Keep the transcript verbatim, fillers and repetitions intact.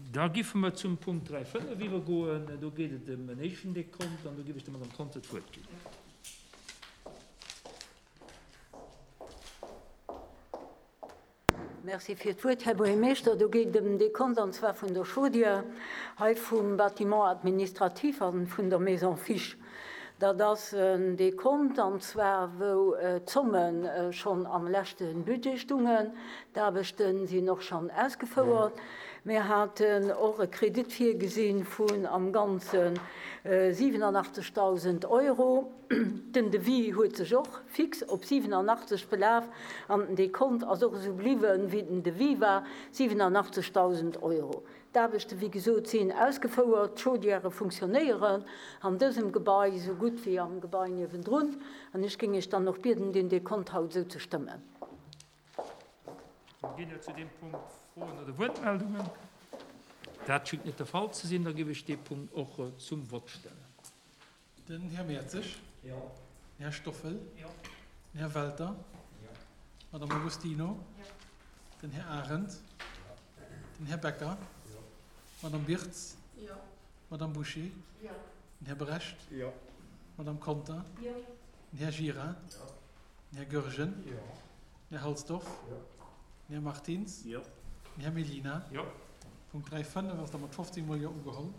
Da giffe mer zum Punkt dräi fënnef iwwergoen. Do geet et ëm en éischten Dekont an do giff ech der Madame Conter d'Wuert ginn. Merci fir d'Wuert, Här Buergermeeschter. Do geet et ëm en Dekont, an zwar vun der Chaudière, hei vum Bâtiment administratif a vun der Maison Fisch. Dat ass en Dekont, an zwar wou d'Zomme schonn am leschte Budget stungen. D'Aarbechte sinn och schonn ausgefouert. Mir haten och e Kredit virgesi vun am Ganze siwenanachtzegtausend Euro. Den Devis huet sech och fix op siwenanachtzeg belaf an den Dekont ass och esou bliwwen, wéi den Devis war, siwenanachtzegtausend Euro. D'Aarbechte, wéi gesot, sinn ausgefouert, d'Chaudièrë funktionéieren an dësem Gebai esou gutt wéi am Gebai niewendrun. An ech géing Iech dann och bieden, deen Dekont haut esou ze stëmmen. Ginn et zu deem Punkt Froen oder Wuertmeldungen? Dat schéngt net de Fall ze sinn. Da géif ech dee Punkt och zum Vott stellen. Den Här Mertzig. Jo. Den Här Stoffel. Jo. Den Här Welter. Jo. D'Madame Agostino. Jo. Den Här Arendt. Jo. Den Här Becker. Jo. D'Madame Birtz. Jo. D'Madame Bouché. Jo. Den Här Brecht. Jo. D'Madame Conter. Jo. Den Här Gira. Jo. Den Här Goergen. Jo. Den Här Halsdorf. Jo. Den Här Martins. Jo. Den Här Mellina. Jo. Punkt dräi fënnef ass da mat fofzéng Mol Jo ugeholl.